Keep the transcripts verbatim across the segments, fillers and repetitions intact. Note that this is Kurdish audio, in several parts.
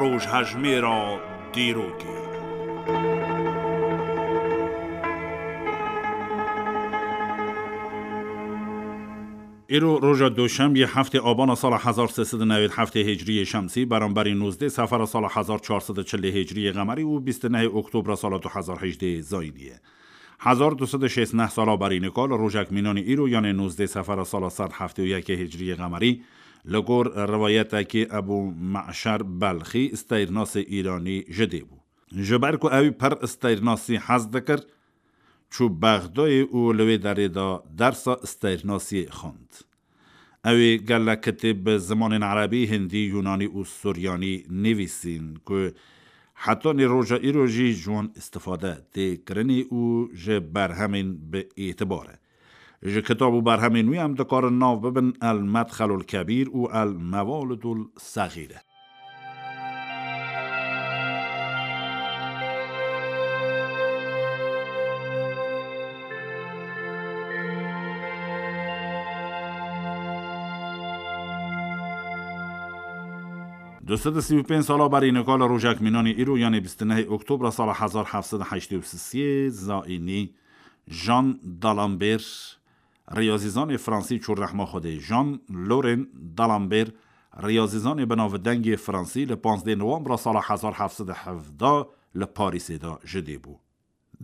Rojhejmêra dîrokê. Îro roja Duşembiyê heftê Abana sala hezar sê sed û newêd heftê Hicriyê Şemsî, beramberî nozdeh Sefera sala hezar çar sed û çil Hicriyê Qemerî û bîst û nehê Oktobra sala du hezar hejdeh Zayînî ye. Hezar du sed û şêst neh sala berî nika li rojek mînanî îro, yanê nozdeh Sefera sala sed heftê û yekê Hicriyê Qemerî, li gor riwayetekî Ebû Me'şer Belxî, steyrnasê Îranî ji dê bû. Ji ber ku ew pir steyrnasî hez dikir, çû Bexdayê û li wê derê de dersa steyrnasiyê xwend. Ew ê gelek kitêb bi zimanên erebî, hindî, yunanî û suryanî nivîsîn ku hetanî roja îro jî ji wan îstifade tê kirinî û ji berhemên bi îtibar e. Ji kitab û berhemên wî em dikarin nav bibin El Medxelul Kebîr û El Mewalidul Sexîre. Du sed û sî û pênc sala berî nika li rojek mînanî îro, yanê bîst û nehê Oktobra sala hezar heft sed û heştê û sisê Zayînî, Jean d'Alembert, riyazîzanê fransî çû rehma Xwedê. Jean Laurent d'Alembert, riyazîzanê bi navdengê fransî, li panzdeh Nowembra sala hezar heft sed û hevdeh li Parîsê de ji dê bû.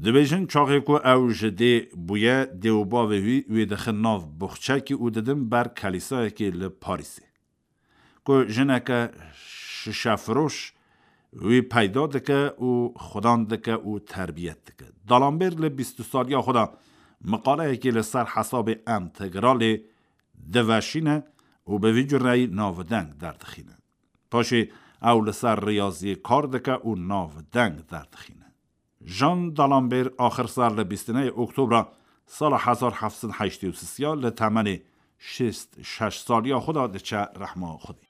Dibêjin çaxê ku ew ji dê bûye, dê û bavê wî wê dixin nav boxçekî û didin ber kelîsayekê li Parîsê. Ku jineke şişefiroş wî peyda dike û xudan dike û terbiyet dike. D'Alembert li bîst û saliya xwe de miqaleyekê li ser hesabê entegralê diveşîne û bi vî cureyî navdeng derdixîne. Paşê ew li ser riyaziyê kar dike û navdeng derdixîne. Jean d'Alembert axir ser li bîst û nehê Oktobra sala hezar heft sed û heştê û sisiya li temenê şêst şeş saliya xwe de diçe rehma Xwedê.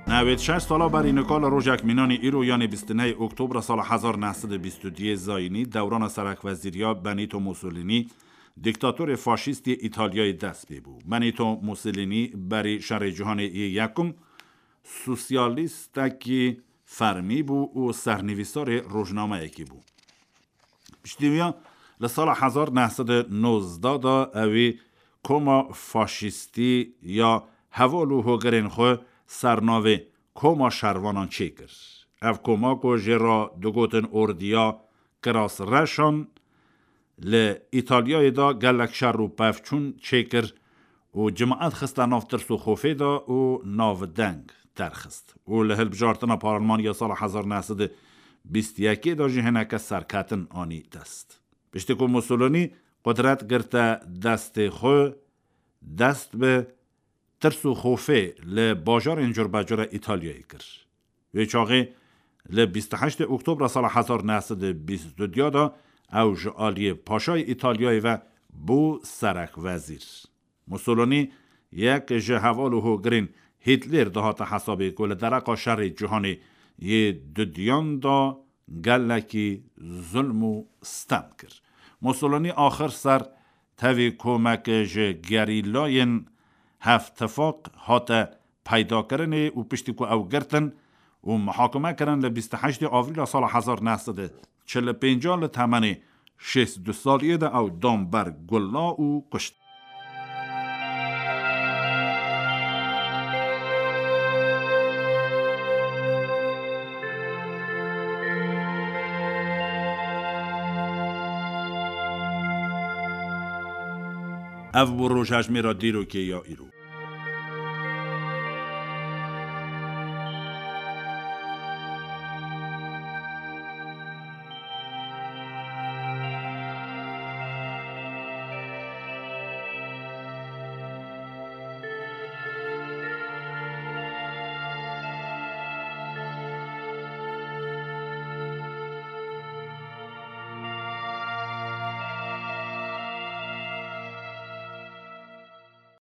Newêd şeş sala berî nika li rojek mînanî îro, yanê bîst û nehê Oktobra sala hezar neh sed û bîst û duyê Zayînî, dewrana serekwezîriya Benito Mussolini, dîktatorê faşîst yê Îtalyayê dest pê bû. Benito Mussolini berî Şerê Cîhanê yê Yekum sosyalîstekî fermî bû û sernivîsarê rojnameyekî bû. Piştî wî ya li sala hezar neh sed û nozdeh de ewî koma faşîstî ya heval û hogirên xwe ser navê Koma Şervanan çêkir. Ev koma ku jê re digotin Ordiya Kirasreşan, li Îtalyayê de gelek şer û pevçûn çêkir û cimaet xiste nav tirs û xofê de û navdeng derxist û li hilbijartina parlemaniya sala hezar neh sed û bîst û yekê de jî hineke serketin anî dest. Piştî ku Mussolini qudret girte destê xwe, dest bi tirs û xofê li bajarên curbecure Îtalyayê kir. Wê çaxê li bîst û heştê Oktobra sala hezar neh sed û bîst û du de ew ji aliyê Paşayê Îtalyayê ve bû serekvezîr. Mussolini yek ji heval û hogirên Hîtler dihate hesabê ku li dereqa şerê cîhanê yê dudiyan de gelekî zulm û stem kir. Mussolini axir ser tevî komek ji gerîlayên Hevtifaq hate peydakirinê û piştî ku ew girtin û muhakeme kirin, li bîst û heştê Avrîla sala hezar neh sed û çil û pênc li temenê şêst û du saliyê de ew dan ber gula û kuşt. Ev bû rojhejmêra dîrokê ya îro.